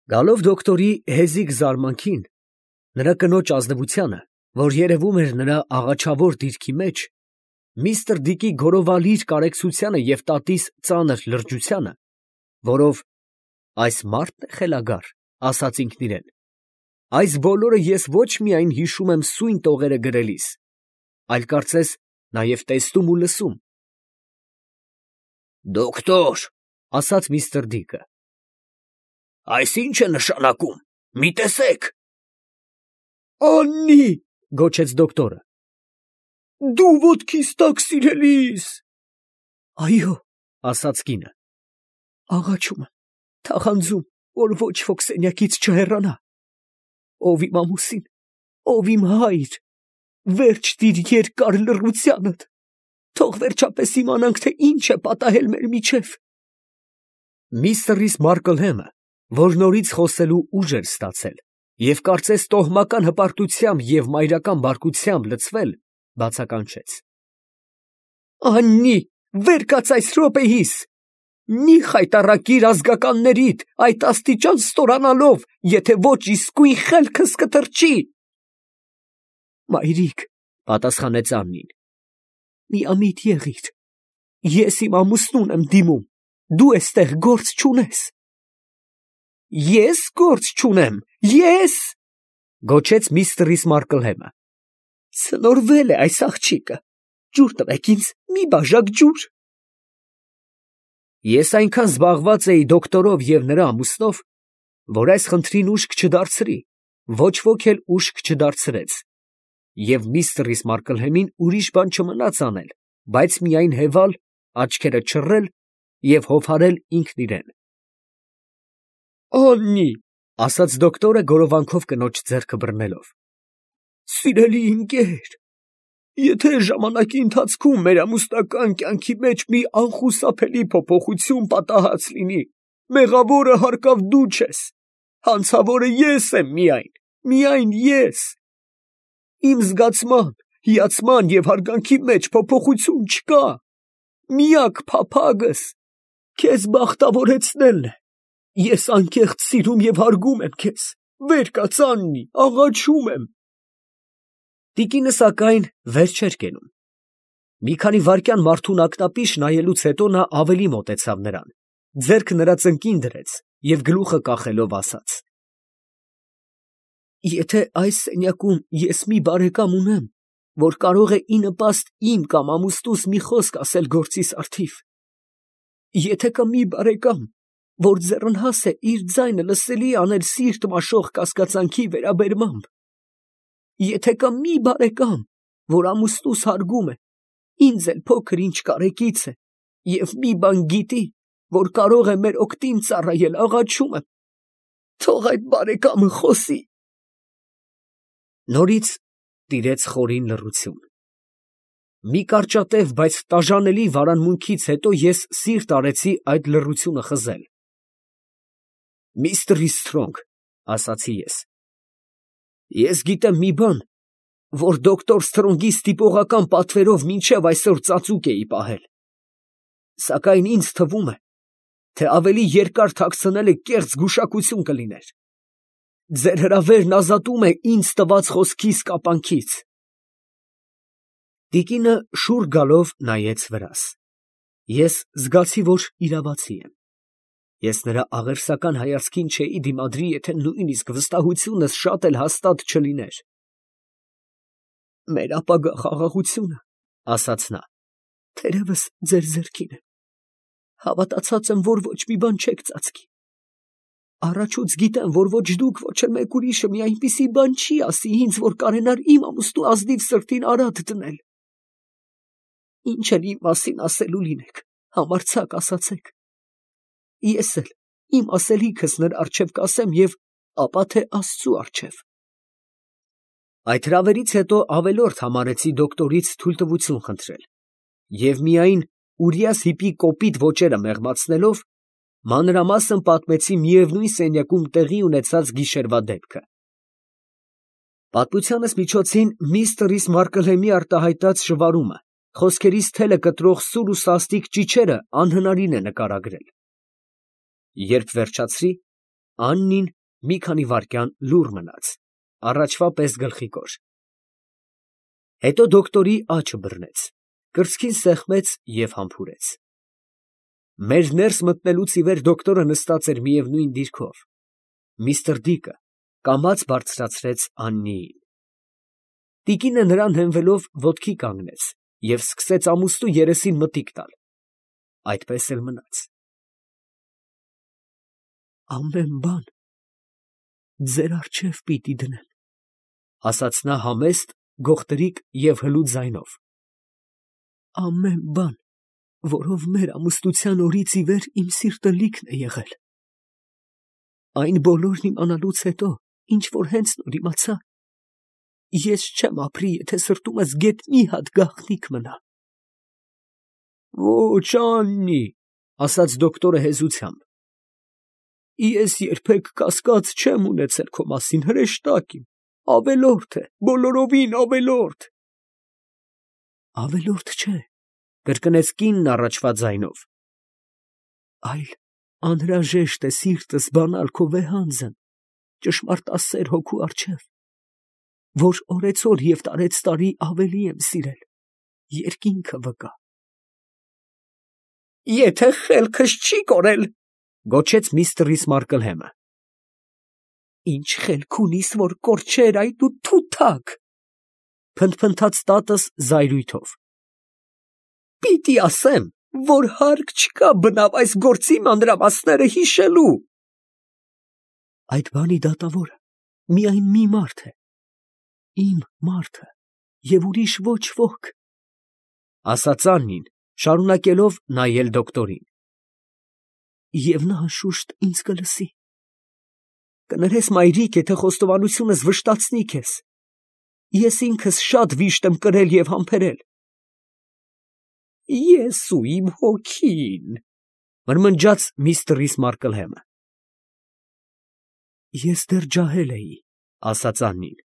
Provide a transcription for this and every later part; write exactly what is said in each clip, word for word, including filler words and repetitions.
Գալով դոկտորի հեզիկ զարմանքին, նրա կնոջ ազնվությանը, որ երևում էր նրա աղաչավոր դիրքի մեջ, միստր Դիկի գորովալիր կարեկցությանը և տատիս ծանր լրջությանը, որով «այս մա՞րդն է խելագար», ասաց ինքն իրան, այս բոլորը ես ոչ միայն հիշում եմ սույն տողերը գրելիս, այլ կարծես նաև տեսնում ու լսում։ ֊ Դոկտոր, ֊ ասաց միստր Դիկը, ֊ այս ի՞նչ է նշանակում, մի տեսեք։ ֊ Աննի, ֊ գոչեց դոկտորը, ֊ դու ոտքիս տակ, սիրելիս։ ֊ Այո, ֊ ասաց կինը, ֊ աղաչում եմ, թախանձում, որ ոչ ոք սենյակից չհեռանա։ Ով իմ ամուսին, ով իմ հայր, վերջ տիր երկար լռությանդ, թող վերջապես իմանանք, թե ինչ է պատահել մեր միջև։ Միստր Մարկլհեմը, որ նորից խոսելու ուժ էր ստացել և կարծես տոհմական հպարտությամբ և մայրական բարկությամբ լցվել, բացականչեց. Աննի, վեր կաց այս րոպեիս, մի խայտառակիր ազգականներիդ, այդ աստիճան ստորանալով, եթե ոչ իսկույն խելքս կթռչի։ Մայրիկ, ֊ պատասխանեց Աննին, ֊ միամիտ եղիր, ես իմ ամուսնուն եմ դիմում, դու էստեղ գործ չունես։ Ես գործ չունեմ, ե՞ս, ֊ գոչեց միստր Մարկլհեմը, ֊ ցնորվել է այս աղջիկը, ջուր տվեք ինձ, մի բաժակ ջուր։ Ես այնքան զբաղված էի դոկտորով և նրա ամուսնով, որ այս խնդրին ուշք չդարձրի, ոչ ոք էլ ուշք չդարձրեց, և միստր Մարկլհեմին ուրիշ բան չմնաց անել, բայց միայն հևալ, աչքերը չռել և հովհարել ինքն իրան։ Աննի, ֊ ասաց դոկտորը գորովանքով կնոջ ձեռքը բռնելով, ֊ սիրելի ընկեր, եթե ժամանակի ընթացքում մեր ամուսնական կյանքի մեջ մի անխուսափելի փոփոխություն պատահած լինի, մեղավորը հարկավ դու չես, հանցավորը ես եմ միայն, միայն ես։ Իմ զգացման, հիացման և հարգանքի մեջ փոփոխություն չկա, միակ փափագս քեզ բախտավորեցնելն է։ Ես անկեղծ սիրում և հարգում եմ քեզ, վեր կաց, Աննի, աղաչում եմ։ Տիկինը, սակայն, վեր չէր կենում։ Մի քանի վայրկյան մարդուն ակնապիշ նայելուց հետո նա ավելի մոտեցավ նրան, ձեռքը նրա ծնկին դրեց և գլուխը կախելով ասաց. Եթե այս սենյակում ես մի բարեկամ ունեմ, որ կարող է ի նպաստ իմ կամ ամուսնուս մի խոսք ասել գործիս առթիվ, եթե կա մի բարեկամ, որ ձեռնհաս է իր ձայնը լսելի անել սիրտ մաշող կասկածանքի վերաբերմամբ, եթե կա մի բարեկամ, որ ամուսնուս հարգում է, ինձ էլ փոքր-ինչ կարեկից է և մի բան գիտի, որ կարող է մեր օգտին ծառայել, աղաչում եմ, թող այդ բարեկամը խոսի։ Նորից տիրեց խորին լռություն։ Մի կարճատև, բայց տաժանելի վարանմունքից հետո ես սիրտ արեցի այդ լռությունը խզել։ Միստր Սթրոնգ, ֊ ասացի ես, ֊ ես գիտեմ մի բան, որ դոկտոր Սթրոնգի ստիպողական պատվերով մինչև այսօր ծածուկ էի պահել, սակայն ինձ թվում է, թե ավելի երկար թաքցնելը կեղծ գուշակություն կլիներ։ Ձեր հրավերն ազատում է ինձ տված խոսքիս կապանքից։ Տիկինը շուռ գալով նայեց վրաս։ Ես զգացի, որ իրավացի եմ։ Ես նրա աղերսական հայացքին չէի դիմադրի, եթե նույնիսկ վստահությունս շատ էլ հաստատ չլիներ։ Մեր ապագա խաղաղությունը, ֊ ասաց նա, ֊ թերևս ձեր ձեռքին է։ Հավատացած եմ, որ ոչ մի բան չեք ծածկի։ Առաջուց գիտեմ, որ ոչ դուք, ոչ էլ մեկ ուրիշը մի այնպիսի բան չի ասի ինձ, որ կարենար իմ ամուսնու ազնիվ սրտին արատ դնել։ Ինչ էլ իմ մասին ասելու լինեք, համարձակ ասացեք։ Ես էլ իմ ասելիքս նրա առջև կասեմ և ապա թե Աստծու առջև։ Այդ հրավերից հետո ավելորդ համարեցի դոկտորից թույլտվություն խնդրել և միայն Ուրիաս հիպի կոպիտ ոճերը մեղմացնելով, մանրամասն պատմեցի միևնույն սենյակում տեղի ունեցած գիշերվա դեպքը։ Պատմությանս միջոցին միստր Մարկլհեմի արտահայտած շվարումը, խոսքերիս թելը կտրող սուր ու սաստիկ ճիչերը անհնարին է նկարագրել։ Երբ վերջացրի, Աննին մի քանի վայրկյան լուռ մնաց, առաջվա պես գլխիկոր։ Հետո դոկտորի աչքը բռնեց, կրծքին սեղմեց և համբուրեց։ Մեր ներս մտնելուց ի վեր դոկտորը նստած էր միևնույն դիրքով։ Միստր Դիկը կամաց բարձրացրեց Աննիին։ Տիկինը նրան հենվելով ոտքի կանգնեց և սկսեց ամուստու երեսին մտիկ տալ։ Այդպես էլ մնաց։ «Ամեն բան ձեր առջև պիտի դնեմ», ֊ ասաց նա համեստ, գողտրիկ և հլու ձայնով։ «Ամեն բան, որով մեր ամուսնության օրից ի վեր իմ սիրտը լիքն է եղել։ Այն բոլորն իմանալուց հետո, ինչ որ հենց նոր իմացա, ես չեմ ապրի, եթե սրտումս գեթ մի հատ գաղտնիք մնա»։ «Ո՛չ, Աննի, ֊ ասաց դոկտորը հեզությամբ, ֊ ես երբեք կասկած չեմ ունեցել քո մասին, հրեշտակ իմ, ավելորդ է, բոլորովին ավելորդ»։ «Ավելորդ չէ, ֊ կրկնեց կինն առաջվա ձայնով, ֊ այլ անհրաժեշտ է սիրտս բանալ քո վեհանձն, ճշմարտասեր հոգու առջև, որ օրեցօր և տարեցտարի ավելի եմ սիրել, երկինքը վկա»։ «Եթե խելքս չի կորել, ֊ գոչեց միստր Մարկլհեմը, ֊ ինչ խելք ունիս, որ կորչեր, ay դու թութակ, ֊ փնթփնթաց տատս զայրույթով, ֊ պիտի ասեմ, որ հարկ չկա բնավ այս գործի մանրամասները հիշելու։ Այդ բանի դատավորը միայն մի մարդ է, իմ մարդը, և ուրիշ ոչ ոք, ֊ ասաց Աննին, շարունակելով նայել դոկտորին։ Եվ նա անշուշտ ինձ կլսի։ Կներես, մայրիկ, եթե խոստովանությունս վշտացնի քեզ, ես ինքս շատ վիշտ եմ կրել և համբերել։ Ես ու իմ հոգին, ֊ մրմնջաց միստր Մարկլհեմը։ Ես դեռ ջահել էի, ֊ ասաց Աննին,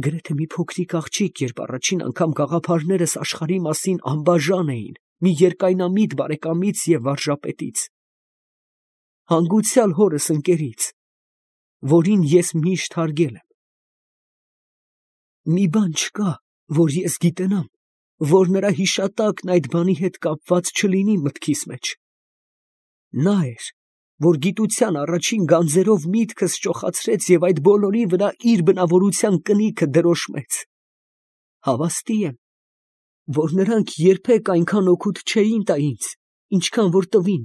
գրեթե մի փոքրիկ աղջիկ, երբ առաջին անգամ գաղափարներս աշխարհի մասին անբաժան էին մի երկայնամիտ բարեկամից և վարժապետից, հանգուցյալ հորս ընկերից, որին ես միշտ հարգել եմ։ Մի բան չկա, որ ես գիտենամ, որ նրա հիշատակն այդ բանի հետ կապված չլինի մտքիս մեջ։ Նա էր, որ գիտության առաջին գանձերով միտքս ճոխացրեց և այդ բոլորի վրա իր բնավորության կնիքը դրոշմեց։ Հավաստի եմ, որ նրանք երբեք այնքան օգուտ չէին տա ինձ, ինչքան որ տվին,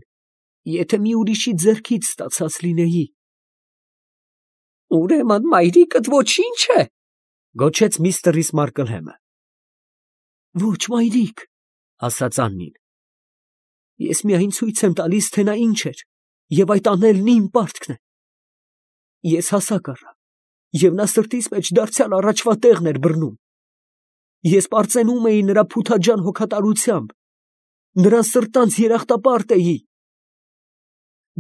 եթե մի ուրիշի ձեռքից ստացած լինեի։ Ուրեմն մայրիկդ ոչինչ է, ֊ գոչեց միստր Մարկլհեմը։ Ոչ, մայրիկ, ֊ ասաց Աննին, ես միայն ցույց եմ տալիս, թե նա ինչ էր, և այդ անելն իմ պարտքն է։ Ես հասակ առա, և նա սրտիս մեջ դարձյալ առաջվա տեղն էր բռնում։ Ես պարծենում էի նրա փութաջան հոգատարությամբ, նրան սրտանց երախտապարտ էի։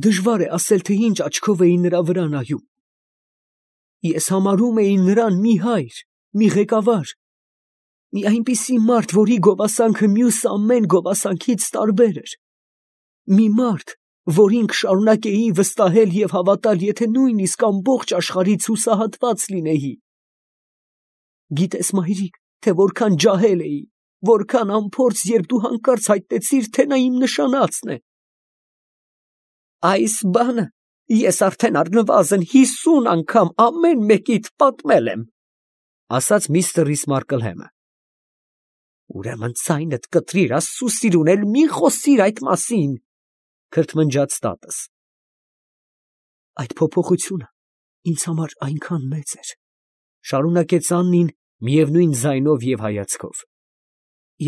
Դժվար է ասել, թե ինչ աչքով էի նրա վրա նայում։ Ես համարում էի նրան մի հայր, մի ղեկավար, մի այնպիսի մարդ, որի գովասանքը մյուս ամեն գովասանքից տարբեր էր, մի մարդ, որին կշարունակեի վստահել և հավատալ, եթե նույնիսկ ամբողջ աշխարհից հուսահատված լինեի։ Գիտես, մայրիկ, թե որքան ջահել էի, որքան անփորձ, երբ դու հանկարծ հայտնեցիր, թե նա իմ նշանածն է։ Այս բանը ես արդեն առնվազն հիսուն անգամ ամեն մեկիդ պատմել եմ, ֊ ասաց միստր Մարկլհեմը։ Ուրեմն ձայնդ կտրիր, Աստծու սիրուն, էլ մի խոսիր այդ մասին, ֊ քրթմնջաց տատս։ Այդ փոփոխությունը ինձ համար այնքան մեծ էր, ֊ շարունակեց Աննին միևնույն ձայնով և հայացքով,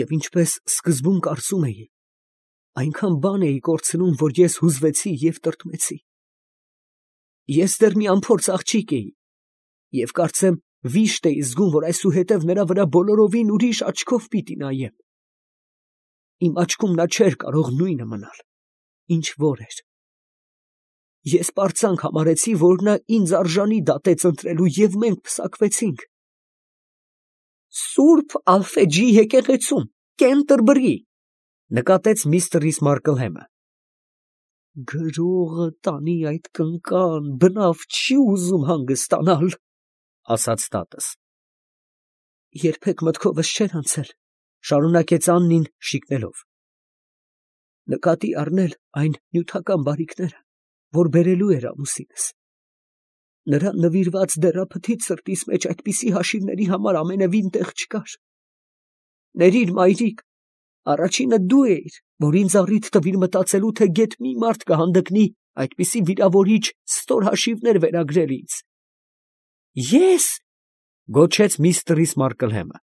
և ինչպես սկզբում կարծում էի, այնքան բան էի կորցնում, որ ես հուզվեցի և տրտմեցի։ Ես դեռ մի անփորձ աղջիկ էի, և կարծեմ վիշտ էի զգում, որ այսուհետև նրա վրա բոլորովին ուրիշ աչքով պիտի նայեմ։ Իմ աչքում նա չէր կարող նույնը մնալ, ինչ որ էր։ Ես պարծանք համարեցի, որ նա ինձ արժանի դատեց ընտրելու, և մենք պսակվեցինք։ Սուրբ Ալֆեջի եկեղեցում, Կենտերբրի, ֊ նկատեց միստր Մարկլհեմը։ Գրողը տանի այդ կնկան, բնավ չի ուզում հանգստանալ, ասաց տատս։ Երբեք մտքովս չէր անցել, շարունակեց Աննին շիկնելով, նկատի առնել այն նյութական բարիքները, որ բերելու էր ամուսինս։ Նրան նվիրված դեռափթիթ սրտիս մեջ այդպիսի հաշիվների համար ամենևին տեղ չկար։ Ներիր, մայրիկ, առաջինը դու էիր, որ ինձ առիթ տվիր մտածելու, թե գեթ մի մարդ կհանդգնի այդպիսի վիրավորիչ ստոր հաշիվներ վերագրել ինձ։ Ես, գոչեց միստր Մարկլհեմը։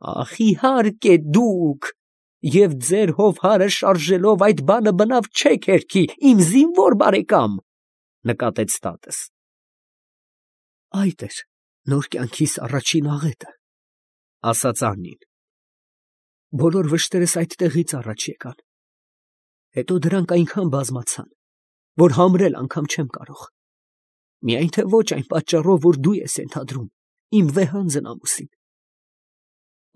Ախ, իհարկե դուք, և ձեր հովհարը շարժելով այդ բանը բնավ չեք հերքի, իմ զինվոր բարեկամ, նկատեց տատս։ Այդ էր նոր կյանքիս առաջին աղետը, ասաց Աննին։ Բոլոր վշտերս այդտեղից առաջ եկան, հետո դրանք այնքան բազմացան, որ համրել անգամ չեմ կարող, միայն թե ոչ այն պատճառով, որ դու ես ենթադրում, իմ վեհանձն ամուսին,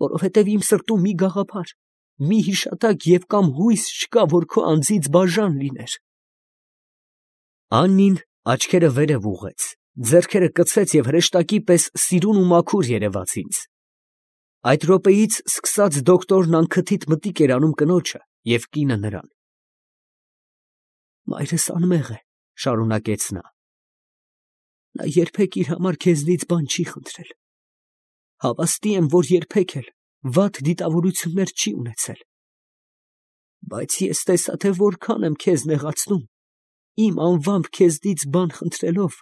որովհետև իմ սրտում մի գաղափար, մի հիշատակ և կամ հույս չկա, որ քո անձից բաժան լիներ։ Աննին աչքերը վերև ուղղեց, ձեռքերը կցեց և հրեշտակի պես սիրուն ու մաքուր երևաց ինձ։ Այդ րոպեից սկսած դոկտորն անքթիթ մտիկ էր անում կնոջը և կինը նրան։ Մայրս անմեղ է, շարունակեց նա։ Նա երբեք իր համար քեզնից բան չի խնդրել։ Հավաստի եմ, որ երբեք էլ վատ դիտավորություններ չի ունեցել։ Բայց ես տեսա, թե որքան եմ քեզ նեղացնում, իմ անվամբ քեզնից բան խնդրելով,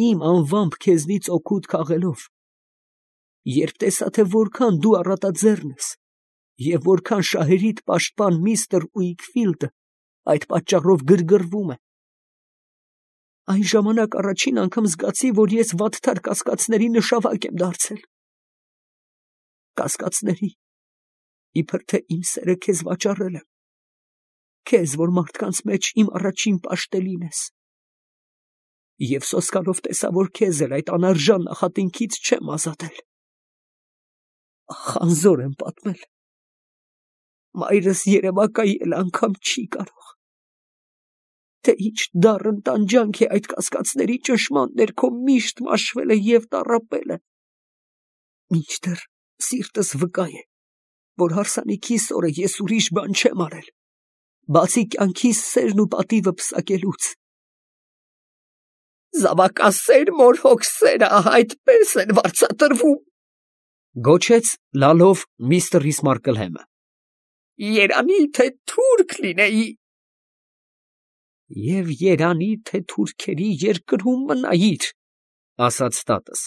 իմ անվամբ քեզնից օգուտ քաղելով, երբ տեսա, թե որքան դու առատաձեռն ես, և որքան շահերիդ պաշտպան միստր Ուիքֆիլդը այդ պատճառով գրգռվում է, այն ժամանակ առաջին անգամ զգացի, որ ես վատթար կասկածների նշավակ եմ դարձել։ Կասկածների, իբր թե իմ սերը քեզ վաճառել եմ, քեզ, որ մարդկանց մեջ իմ առաջին պաշտելին ես։ Եվ սոսկալով տեսա, որ քեզ էլ այդ անարժան նախատինքից չեմ ազատել։ Ախ, անզոր եմ պատմել։ Մայրս երևակայել անգամ չի կարող։ Թե ինչ դառն տանջանք է այդ կասկածների ճնշման ներքո միշտ մաշվել է և տառապել է։ Մինչդեռ սիրտս վկա է, որ հարսանիքիս օրը ես ուրիշ բան չեմ արել, բացի կյանքիս սերն ու պատիվը պսակելուց։ Զավակասեր մոր հոգսերը այդպես են վարձատրվում, գոչեց լալով միստր Մարկլհեմը։ Երանի թե թուրք լինեի։ Եվ երանի թե թուրքերի երկրում մնայիր, ասաց տատս։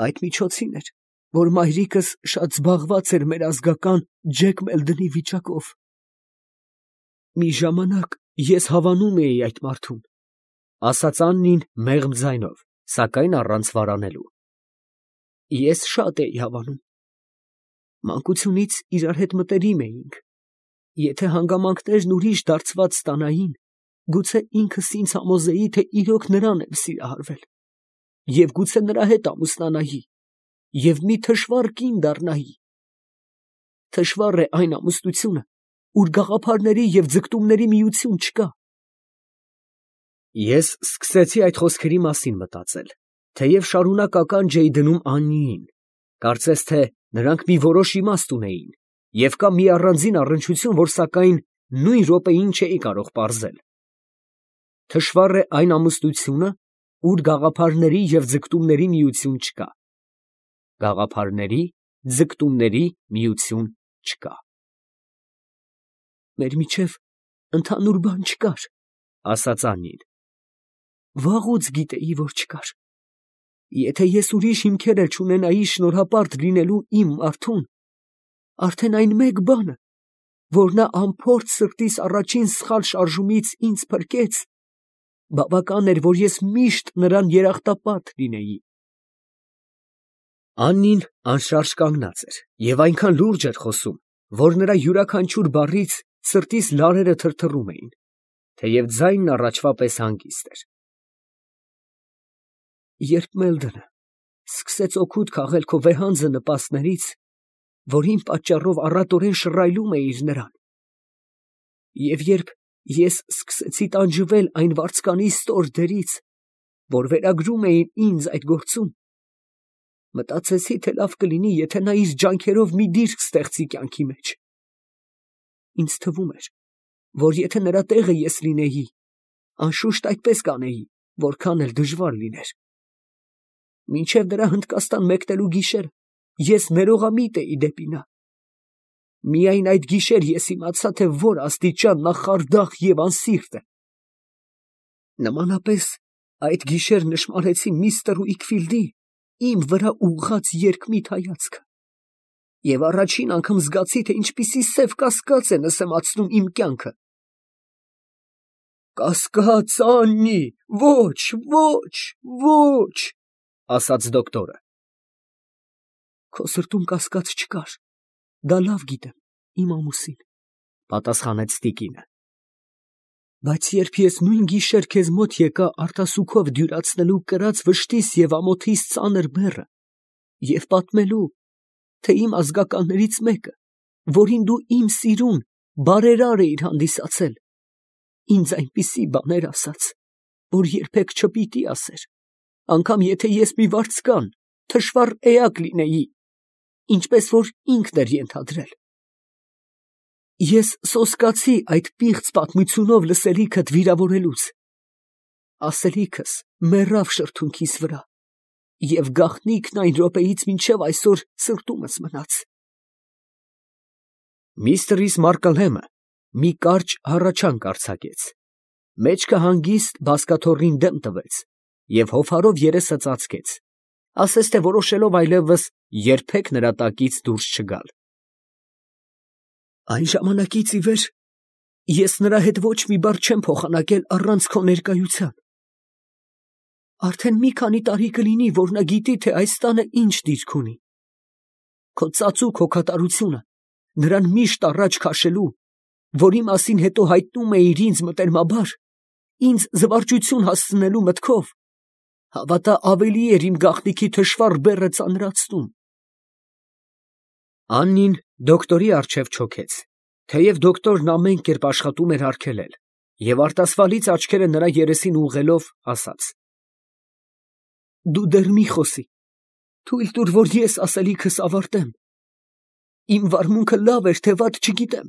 Այդ միջոցին էր, որ մայրիկս շատ զբաղված էր մեր ազգական Ջեք Մելդնի վիճակով։ Մի ժամանակ ես հավանում էի այդ մարդուն, ասաց Աննին մեղմ ձայնով, սակայն առանց վարանելու։ Ես շատ էի հավանում։ Մանկությունից իրար հետ մտերիմ էինք։ Եթե հանգամանքներն ուրիշ դարձված ստանային, գուցե ինքս ինձ համոզեի, թե իրոք նրան եմ սիրահարվել, և գուցե նրա հետ ամուսնանայի, և մի թշվառ կին դառնայի։ Թշվառ է այն ամուսնությունը, ուր գաղափարների և ձգտումների միություն չկա։ Ես սկսեցի այդ խոսքերի մասին մտածել, թեև շարունակ ականջ էի դնում Աննիին, կարծես թե նրանք մի որոշ իմաստ ունեին, և կա մի առանձին առնչություն, որ սակայն նույն րոպեին չէի կարող պարզել։ Թշվառ է այն ամուսնությունը, ուր գաղափարների և ձգտումների միություն չկա։ Գաղափարների, ձգտումների միություն չկա։ Մեր միջև ընդհանուր բան չկար, ասաց Աննին։ Վաղուց գիտեի, որ չկար։ Եթե ես ուրիշ հիմքեր էլ չունենայի շնորհապարտ լինելու իմ մարդուն, արդեն այն մեկ բանը, որ նա անփորձ սրտիս առաջին սխալ շարժումից ինձ փրկեց, բավական էր, որ ես միշտ նրան երախտապարտ լինեի։ Աննին անշարժ կանգնած էր և այնքան լուրջ էր խոսում, որ նրա յուրաքանչյուր բառից սրտիս լարերը թրթռում էին, թեև ձայնն առաջվա պես հանգիստ էր։ Երբ Մելդոնը սկսեց օգուտ քաղել քո վեհանձը նպաստներից, որ իմ պատճառով առատորեն շռայլում էիր նրան, Եվ երբ ես սկսեցի տանջվել այն վարձկանի ստոր դերից, որ վերագրում էին ինձ այդ գործում, մտածեցի, թե լավ կլինի, եթե նա իր ջանքերով մի դիրք ստեղծի կյանքի մեջ։ Ինձ թվում էր, որ եթե նրա տեղը ես լինեի, անշուշտ այդպես կանեի, որքան էլ դժվար լիներ։ Մինչև նրա Հնդկաստան մեկնելու գիշերը ես ներողամիտ էի դեպի նա։ Միայն այդ գիշեր ես իմացա, թե որ աստիճան նա խարդախ և անսիրտ է։ Նմանապես այդ գիշեր նշմարեցի միստր Ուիքֆիլդի իմ վրա ուղղած երկմիտ հայացքը, և առաջին անգամ զգացի, թե ինչպիսի սև կասկած է նսեմացնում իմ կյանքը։ «Կասկած, Աննի, ոչ, ոչ, ոչ», ասաց դոկտորը։ «Քո սրտում կասկած չկար, դա լավ գիտեմ, իմ ամուսին», պատասխանեց տիկինը։ «Բայց երբ ես նույն գիշեր քեզ մոտ եկա արտասուքով դյուրացնելու կրած վշտիս և ամոթիս ծանր բեռը և պատմելու, թե իմ ազգականներից մեկը, որին դու իմ սիրուն բարերար էիր հանդիսացել, ինձ այնպիսի բաներ ասաց, որ երբեք չպիտի ասեր, անգամ եթե ես մի վարձկան, թշվառ էակ լինեի, ինչպես որ ինքն էր ենթադրել։ Ես սոսկացի այդ պիղծ պատմությունով լսելիքդ վիրավորելուց, ասելիքս մեռավ շրթունքիս վրա, և գաղտնիքն այն րոպեից մինչև այսօր սրտումս մնաց»։ Միստր Մարկլհեմը մի կարճ հառաչանք արձակեց, մեջքը հանգիստ բազկաթոռին դեմ տվեց և հովհարով երեսը ծածկեց, ասես թե որոշելով այլևս երբեք նրա տակից դուրս չգալ։ «Այն ժամանակից ի վեր ես նրա հետ ոչ մի բառ չեմ փոխանակել առանց քո ներկայության։ Արդեն մի քանի տարի կլինի, որ նա գիտի, թե այս տանը ինչ դիրք ունի։ Քո ծածուկ հոգատարությունը նրան միշտ առաջ քաշելու, որի մասին հետո հայտնում էիր ինձ մտերմաբար, ինձ զվարճություն հասցնելու մտքով, հավատա ավելի էր իմ գաղտնիքի թշվառ բեռը ծանրացնում»։ Աննին դոկտորի առջև չոքեց, թեև դոկտորն ամեն կերպ աշխատում էր արգելել, և արտասվալից աչքերը նրա երեսին ուղղելով, ասաց. «Դու դեռ մի խոսի, թույլ տուր, որ ես ասելիքս ավարտեմ։ Իմ վարմունքը լավ էր, թե վատ չգիտեմ,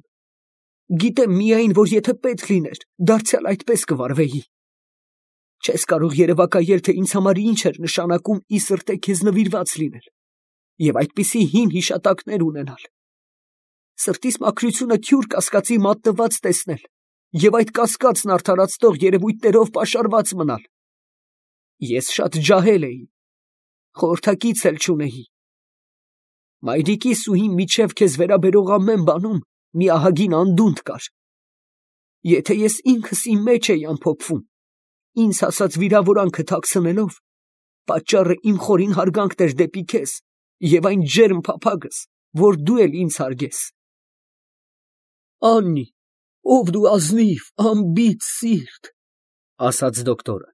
գիտեմ միայն, որ եթե պետք լիներ, դարձյալ այդպես կվարվեի։ Չես կարող երևակայել, թե ինձ համար ինչ էր նշանակում ի սրտե քեզ նվիրված լինել և այդպիսի հին հիշատակներ ունենալ, սրտիս մաքրությունը թյուր կասկածի մատնված տեսնել և այդ կասկածն արդարացնող երևույթներով պաշարված մնալ։ Ես շատ ջահել էի, խորհրդակից էլ չունեի։ Մայրիկիս ու իմ միջև քեզ վերաբերող ամեն բանում մի ահագին անդունդ կար։ Եթե ես ինքս իմ մեջ էի ամփոփվում, ինձ հասած վիրավորանքը թաքցնելով, պատճառը իմ խորին հարգանքն էր դեպի քեզ և այն ջերմ փափագս, որ դու էլ ինձ հարգես։ Աննի, ով դու ազնիվ, անբիծ սիրտ, ասաց դոկտորը,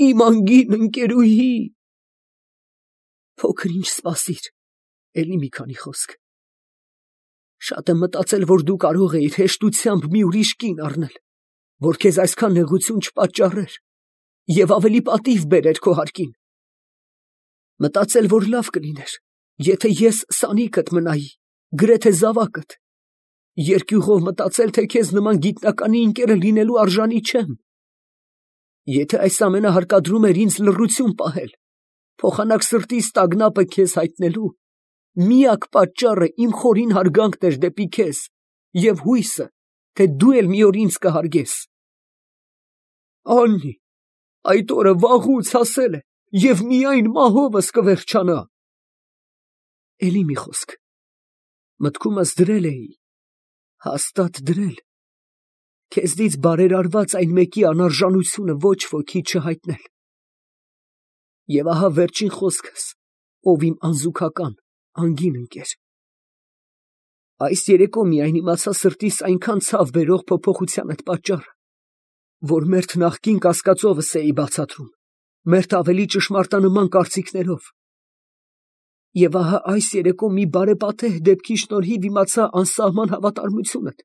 իմ անգին ընկերուհի։ Փոքր ինչ սպասիր, էլի մի քանի խոսք։ Շատ եմ մտածել, որ դու կարող էիր հեշտությամբ մի ուրիշ կին առնել, որ քեզ այսքան նեղություն չպատճառեր և ավելի պատիվ բերեր քո հարկին։ Մտածել, որ լավ կլիներ, եթե ես սանիկդ մնայի, գրեթե զավակդ, երկյուղով մտածել, թե քեզ նման գիտնականի ընկերը լինելու արժանի չեմ։ Եթե այս ամենը հարկադրում էր ինձ լռություն պահել, փոխանակ սրտիս տագնապը քեզ հայտնելու, միակ պատճառը իմ խորին հարգանքն էր դեպի քեզ և հույսը, թե դու էլ մի օր ինձ կհարգես։ Աննի, այդ օրը վաղուց հասել է և միայն մահովս կվերջանա։ Էլի մի խոսք, մտքումս դրել էի, հաստատ դրել, քեզնից բարերարված այն մեկի անարժանությունը ոչ ոքի չհայտնել։ Եվ ահա վերջին խոսքս, ով իմ անզուգական, անգին ընկեր։ Այս երեկո միայն իմացա սրտիս այնքան ցավ բերող փոփոխությանդ պատճառը, որ մերթ նախկին կասկածովս էի բացատրում, մերթ ավելի ճշմարտանման կարծիքներով։ Եվ ահա այս երեկո մի բարեպատեհ դեպքի շնորհիվ իմացա անսահման հավատարմությունդ,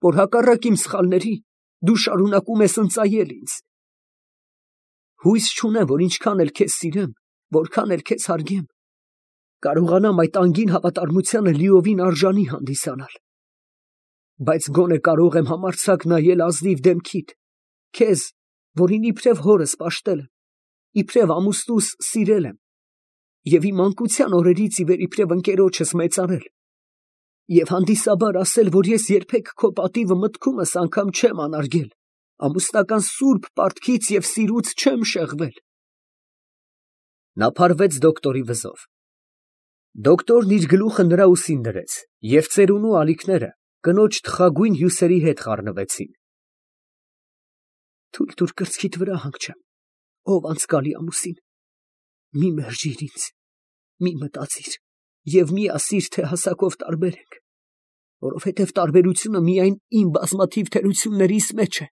որ հակառակ իմ սխալների դու շարունակում ես ընծայել ինձ։ Հույս չունեմ, որ ինչքան էլ քեզ սիրեմ, որքան էլ քեզ հարգեմ, կարողանամ այդ անգին հավատարմությանը լիովին արժանի հանդիսանալ։ Բայց գոնե կարող եմ համարձակ նայել ազնիվ դեմքիդ, քեզ, որին իբրև հորս պաշտել եմ, իբրև ամուսնուս սիրել եմ, և իմ մանկության օրերից ի վեր իբրև ընկերոջս մեծարել, և հանդիսաբար ասել, որ ես երբեք քո պատիվը մտքումս անգամ չեմ անարգել, ամուսնական սուրբ պարտքից և սիրուց չեմ շեղվել։ Նա փարվեց դոկտորի վզով։ Դոկտորն իր գլուխը նրա ուսին դրեց, և ծերունու ալիքները կնոջ թխագույն հյուսերի հետ խառնվեցին։ Թույլ տուր կրծքիդ վրա հանգչեմ, ով անցկալի ամուսին, մի մերժիր ինձ, մի մտածիր և մի ասիր, թե հասակով տարբեր ենք, որովհետև տարբերությունը միայն իմ բազմաթիվ թերություններիս մեջ է։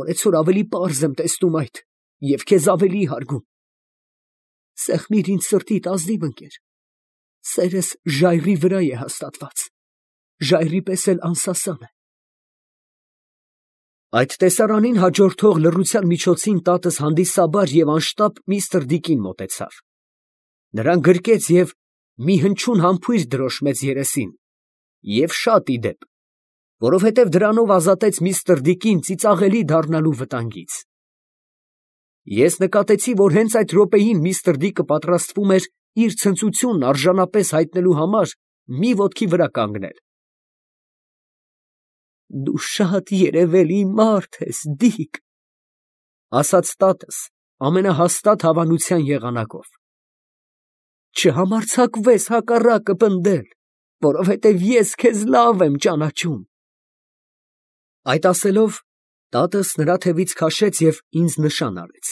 Օրեցօր ավելի պարզ եմ տեսնում այդ և քեզ ավելի հարգում։ Սեղմիր ինձ սրտիդ ազնիվ ընկեր, սերս ժայռի վրա է հաստատված, ժայռի պես էլ անսասան է։ Այդ տեսարանին հաջորդող լռության միջոցին տատս հանդիսաբար և անշտապ միստր Դիկին մոտեցավ. նրան գրկեց և մի հնչյուն համբույր դրոշմեց երեսին, և շատ ի դեպ, որովհետև դրանով ազատեց միստր Դիկին ծիծաղելի դառնալու վտանգից։ Ես նկատեցի, որ հենց այդ րոպեին միստր Դիկը պատրաստվում էր իր ցնծությունն արժանապես հայտնելու համար մի ոտքի վրա կանգնել։ Դու շատ երևելի մարդ ես, Դիկ, ֊ ասաց տատս ամենահաստատ հավանության եղանակով։ Չհամարձակվես հակառակը պնդել, որովհետև ես քեզ լավ եմ ճանաչում։ Այդ ասելով, տատս նրա թևից քաշեց և ինձ նշան արեց։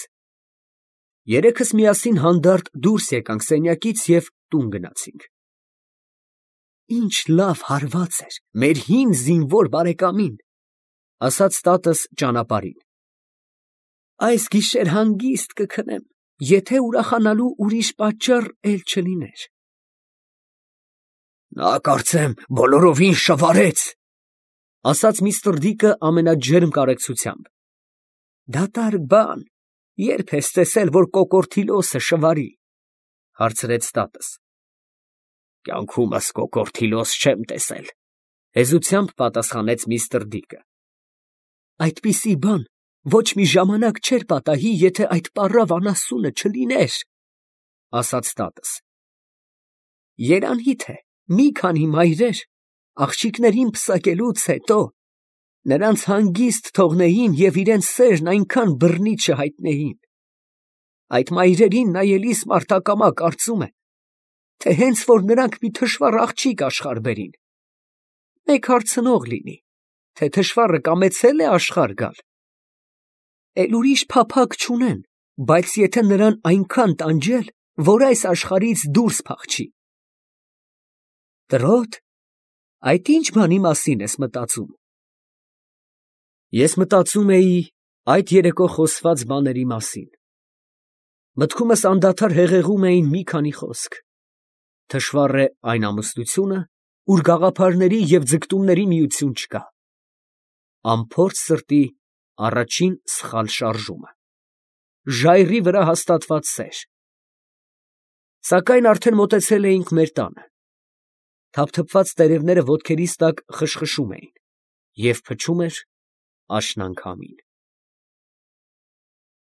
Երեքս միասին հանդարտ դուրս եկանք սենյակից և տուն գնացինք։ Ինչ լավ հարված էր մեր հին զինվոր բարեկամին, ֊ ասաց տատս ճանապարհին։ Այս գիշեր հանգիստ կքնեմ, եթե ուրախանալու ուրիշ պատճառ էլ չլիներ։ Նա կարծեմ բոլորովին շվարեց, ֊ ասաց միստր Դիկը ամենաջերմ կարեկցությամբ։ Դատարկ բան, ե՞րբ ես տեսել, որ կոկորդիլոսը շվարի, ֊ հարցրեց տատս։ Կյանքումս կոկորդիլոս չեմ տեսել, ֊ հեզությամբ պատասխանեց միստր Դիկը։ Այդպիսի բան ոչ մի ժամանակ չէր պատահի, եթե այդ պառավ անասունը չլիներ, ֊ ասաց տատս։ Երանի թե մի քանի մայրեր աղջիկներին պսակելուց հետո նրանց հանգիստ թողնեին և իրենց սերն այնքան բռնի չհայտնեին։ Այդ մայրերին նայելիս մարդ ակամա կարծում է, թե հենց որ նրանք մի թշվառ աղջիկ աշխարհ բերին, մեկ հարցնող լինի, թե թշվառը կամեցե՞լ է աշխարհ գալ։ Էլ ուրիշ փափագ չունեն, բայց եթե նրան այնքան տանջել, որ այս աշխարհից դուրս փախչի։ Տրոտ, այդ ի՞նչ բանի մասին ես մտածում։ Ես մտածում էի այդ երեկո խոսված բաների մասին։ Մտքումս անդադար հեղեղում էին մի քանի խոսք. թշվառ է այն ամուսնությունը, ուր գաղափարների և ձգտումների միություն չկա, անփորձ սրտի առաջին սխալ շարժումը, ժայռի վրա հաստատված սեր։ Սակայն արդեն մոտեցել էինք մեր տանը։ Թափթփված տերևները ոտքերիս տակ խշխշում էին, և փչում էր աշնան քամին։